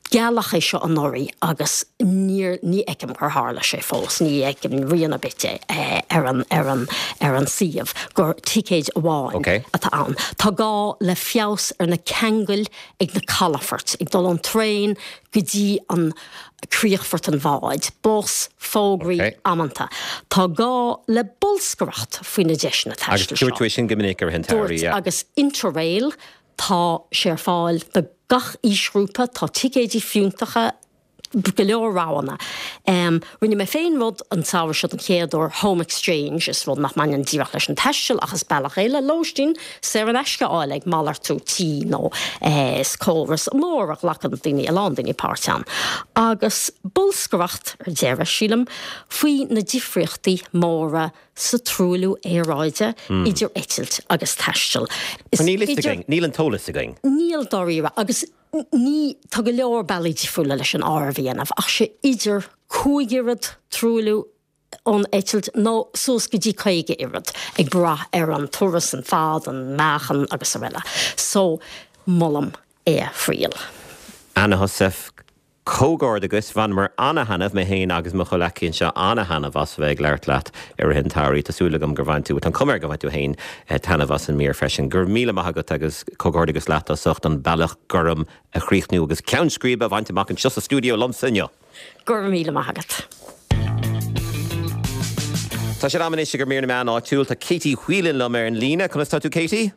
gealladh é seo anuraidh agus níor, ní fheicim gur tharla sé fós, ní fheicim rian ar bith de ar an, ar an, ar an suíomh gur ticéid amháin atá ann. Tá gá le feabhas ar na ceangail ag na calafoirt, ag dul ón traein go dtí an críochfort an bháid, bus, fógraí, amanta. Tá gá le bolscaireacht faoi na deiseanna taistil seo. Agus dúirt tú é sin go minic i rith an tsamhraidh, yeah. Dúirt, agus Interrail, Tá sé ar fáil do gach aoisghrúpa, tá ticéidí fiúntacha, go leor roghanna. Rinne mé féin rud an samhradh seo den chéad uair, Home Exchange, is rud nach mbaineann díreach leis an taisteal ach is bealach é le lóistín saor in aisce a fháil ag malartú tí nó is córas mór a ghlacann daoine, a lán daoine páirt ann. Agus bolscaireacht ar deireadh, sílim, faoi na difríochtaí móra sa truailliú aeráide idir eitilt agus taisteal. Is Níl fhios againn, níl an t-eolas againn. Níl dáiríre, agus ní, tá go leor bealaí difriúla leis an áireamh a dhéanamh, ach sé idir 5 oiread truailliú ón eitilt nó suas go dtí 50 oiread, ag brath ar an turas, an fad, an meáchan agus araile. So, molaim é a thriail. Anna Heussaff, Comhghairdeachas, bhaineamar ana-thaitneamh, mé féin agus mo chomhleacaí anseo, ana-thaitneamh as a bheith ag labhairt leat i rith an tsamhraidh. Tá súil agam gur bhain tú, tá an chuma air gur bhain tú féin taitneamh as an mír freisin. Go raibh míle maith agat agus comhghairdeachas leat as ucht an Bealach Gorm a chríochnú agus ceann scríbe a bhaint amach anseo sa stiúideo liomsa inniu. Go raibh míle maith agat. Tá sé in am anois ag mír na meán áitiúil. Tá Katie Whelan liom ar an líne. Conas tá tú Katie?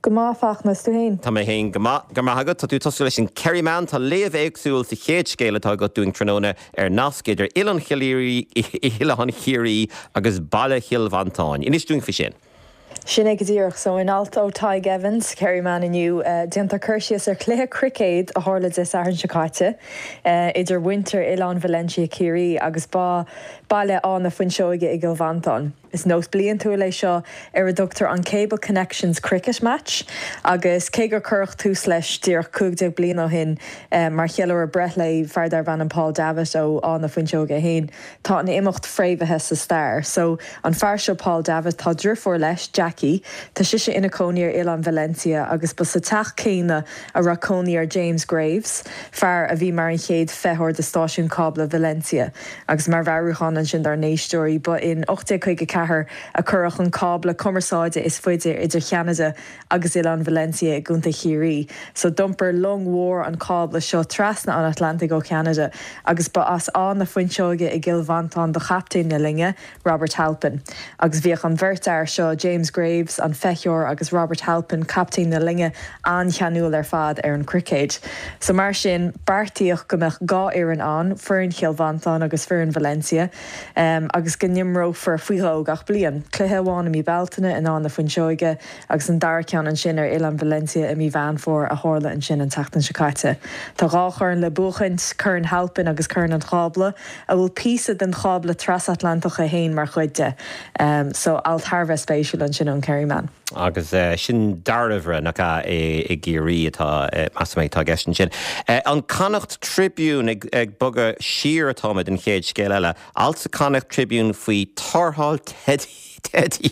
Go maith, a Fachtna, is tú féin? Tá mé féin go maith, go raibh maith agat. Tá tú ag tosú leis an Kerryman. Tá léamh éagsúil sa chéad scéal atá agat dúinn tráthnóna ar nasc idir Oileán Oileán Chiarraí agus baile Chill Mhantáin. Inis dúinn faoi sin. Sin é go díreach. So, in alt ó Tadhg Evans, Kerryman inniu, déantar cur síos ar chluiche cruicéid a tharla Dé Sathairn seo caite idir mhuintir Oileán Valentia Ciarraí agus ba baile Áth na Fuinseoige i gCill Mhantáin. Is nós bliantúil é seo ar a dtugtar an Cable Connections Cricket Match agus cé gur cuireadh tús leis díreach 15 bliain ó shin mar cheiliúradh breithlae fear darbh ainm Paul Davitt ó Áth na Fuinseoige é féin, tá an imeacht fréamhaithe sa stair. So, an fear seo Paul Davitt, tá driofúr leis, Jackie, tá sise ina cónaí ar Oileán Valentia agus ba sa teach céanna a raibh cónaí ar James Graves, fear a bhí mar an chéad feitheoir de stáisiún cábla Valentia. Agus mar mheabhrúchán ansin dár n-éisteoirí, ba in 1854 a cuireadh an cábla cumarsáide is faide idir Cheanada agus Oileán Valentia i gContae Chiarraí. So d'iompair long mhór an cábla seo trasna an Atlantaigh ó Cheanada agus ba as Áth na Fuinseoige i gCill Mhantáin do chaptaen na loinge, Robert Halpin. Agus bhíodh an bheirt fhear seo, James Graves, an feitheoir, agus Robert Halpin, captaen na loinge, an-cheanúil ar fad ar an chruicéad. So mar sin, beartaíodh go mbeadh 2 fhoireann ann, foireann Chill Mhantáin agus foireann Valencia, agus go n-imreofar faoi dhó gach bliain. Cluiche amháin i mí Bealtaine in Áth na Fuinseoige agus an dara ceann ansin ar Oileán Valencia i mí Mheán Fómhair a tharla ansin an tseachtain seo caite. Tá dhá chorn le buachaint, Corn Halpin agus Corn an Chábla, a bhfuil píosa den chábla trasatlantach é féin mar chuid de. So, alt thar a bheith spéisiúil ansin ón Kerryman. Agus sin Dairbhre, nach ea, i gCiarraí atá, measaim, atá i gceist ansin. An Connacht Tribune, ag bogadh siar atáimid, an chéad scéal eile. Alt sa Connacht Tribune faoi tarrtháil teidí.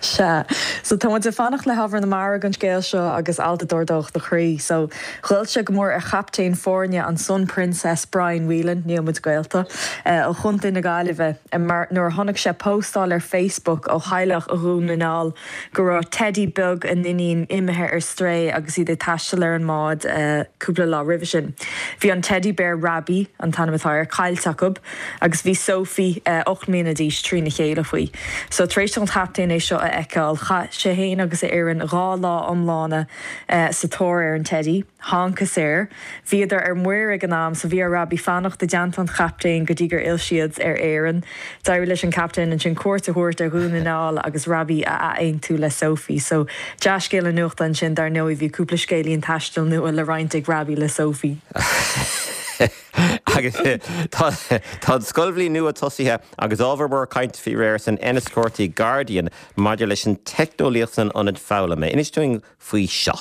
Sea. So tá muid ag fanacht le hábhar na mara don scéal seo agus alt a d'ardódh do chroí. So ghoill sé go mór ar chaptaen foirne an Sun Princess, Brian Whelan, níl muid gaolta, ó Chontae na Gaillimhe, mar nuair a chonaic sé póstáil ar Facebook ó theaghlach i Dhún na nGall go raibh teidí beag a n-iníon imithe ar strae agus iad ag taisteal ar an mbád cúpla lá roimhe sin. Bhí an teidí béar Rabbie, an t-ainm atá air, caillte acu. Agus bhí Sophie, 8 mbliana d'aois, trína chéile faoi. So, tar éis don chaptaen é seo a. a fheiceáil. Chaith sé fhéin agus a fhoireann 2 lá iomlána sa tóir ar an teidí. Thángthas air. Bhíodar ar muir ag an am so bhí ar Robbie fanacht i dteannta an chaptaein go dtí gur fhill siad ar Éirinn. D'éirigh leis an captaen ansin cuairt a thabhairt ar Dhún na nGall agus Robbie a ath-aontú le Sophie. So dea-scéal na nuachta ansin dar ndóigh bhí cúpla scéilín taistil nua le roinnt ag Robbie le Sophie. Agus tá an scoilbhliain nua tosaithe agus ábhar mór cainte faoi réir san Enniscorthy Guardian maidir leis an teicneolaíocht san ionad foghlama. Inis dúinn faoi seo.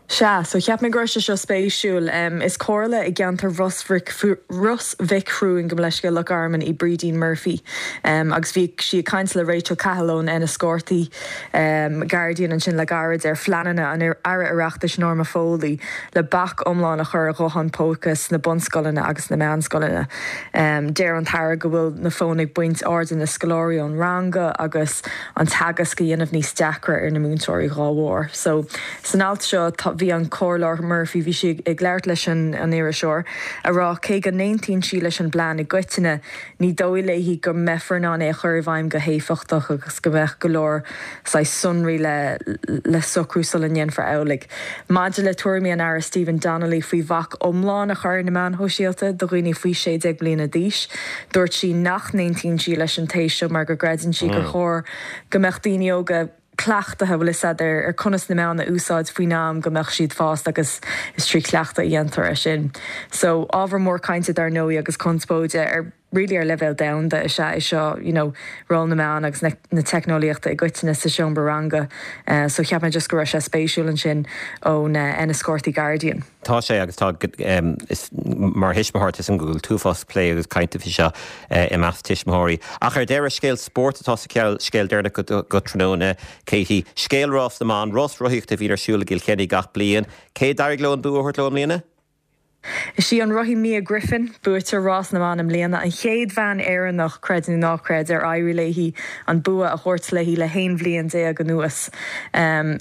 Sea, so cheap mé go raibh sé seo spéisiúil. Is comhairle i gceantar Ros Mhic Thriúin, gabh mo leithscéal, Loch Garman í Brídín Murphy agus bhí sí ag caint le Rachel Cahill ón Enniscorthy Guardian ansin le gairid ar phleananna an Aire Oireachtais Norma Foley le bac iomlán a chur ar ghutháin póca sna bunscoileanna agus sna meánscoileanna. Deir an tAire go bhfuil na fóin ag baint airde na scoláirí ón ranga agus an teagasc a dhéanamh níos deacra ar na múinteoirí dhá bharr. So, san alt seo, tá, bhí an Comhairleoir Murphy, bhí sí ag labhairt leis an an iriseoir, a rá cé go n-aontaíonn sí leis an bplean i gcoitinne, ní dóigh léi go mbeifear in ann é a chur i bhfeidhm go héifeachtach agus go mbeadh go leor saghas sonraí le le socrú sula ndéanfar amhlaidh. Maidir le tuairimí an Aire Stephen Donnelly faoi bhac iomlán a chur ar na meáin shóisialta do dhaoine faoi 16 bliana d'aois, dúirt sí nach n-aontaíonn sí leis an téis seo mar go gcreideann sí gur chóir go mbeadh daoine óga cleachtaithe, bhfuil 'fhios a'd, ar conas na meáin a úsáid faoin am go mbeadh siad fásta agus is trí chleachtadh a dhéantar é sin. So, ábhar mór cainte dar ndóigh agus conspóide ar. really ar leibhéal domhanda is ea é seo, you know ról na meán agus na na teicneolaíochta i gcoitinne sa seomra ranga. So cheap mé just go raibh sé spéisiúil ansin ón Enniscorthy Guardian. Tá sé agus tá is mar thuismitheoir tá 'fhios a'm go bhfuil t-uafás plé agus cainte faoi seo i measc tuismitheoirí. Ach ar deireadh, scéal spóirt atá sa scéal deireanach go tráthnóna, Katie. Scéal Rás na mBan, rás rothaíochta a bhíonn ar siúl i gCill Chainnigh gach bliain. Cé a d'éirigh leo an bua a thabhairt leo i mbliana? Is í an rothaí Mia Griffin, buaiteoir Rás na mBan i mbliana, an chéad bhean Éireannach, creid nó ná creid, ar éirigh léi an bua a thabhairt léi le haon bhliain déag anuas.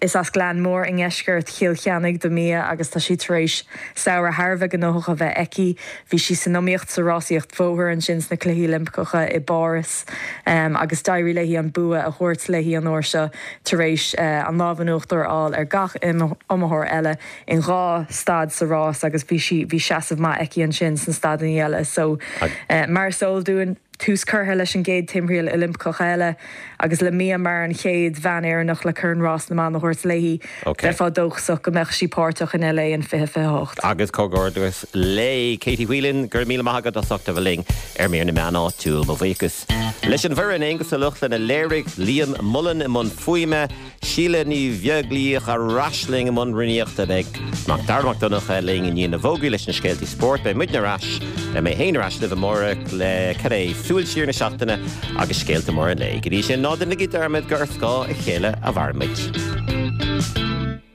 Is as Gleann Mór i ndeisceart Chill Chainnigh do Mia agus tá sí tar éis samhradh thar a bheith gnóthach a bheith aici. Bhí sí san iomaíocht sa rásaíocht bhóthair ansin sna Cluichí Oilimpeacha i bPáras agus d'éirigh léi an bua a thabhairt léi an uair seo tar éis an lámh in uachtar a fháil ar gach iomaitheoir eile. in 2 staid sa rás agus bhí sí, bhí seasamh maith aici ansin sna staideanna eile. So, mar is eol dúinn, tús curtha leis an gcéad timthriall Oilimpeach eile agus le Mia mar an chéad bhean Éireannach le Corn Rás na mBan a thabhairt léi, bheifeá dóchasach go mbeadh sí páirteach in LA in 2028. Agus comhghairdeas léi. Katie Whelan, go raibh míle maith agat as ucht a bheith linn ar Mír na Meán Áitiúil. Mo bhuíochas leis an bhfoireann, Aonghus Ó Lochlainn a léirigh, Liam Mullen i mbun fuaime, Síle Ní Bheaglaoich ar ais linn i mbun rúnaíochta. Beidh Mac Dara Mac Donncha linn i ndiaidh na bhfógraí leis na scéaltaí spóirt. Beidh muidne ar ais, mé féin ar ais libh amárach le, cad é, súil siar na seachtaine agus scéalta móra an lae. Go dtí sin, ná déanaigí dearmad gur ar scáth a chéile a mhairimid.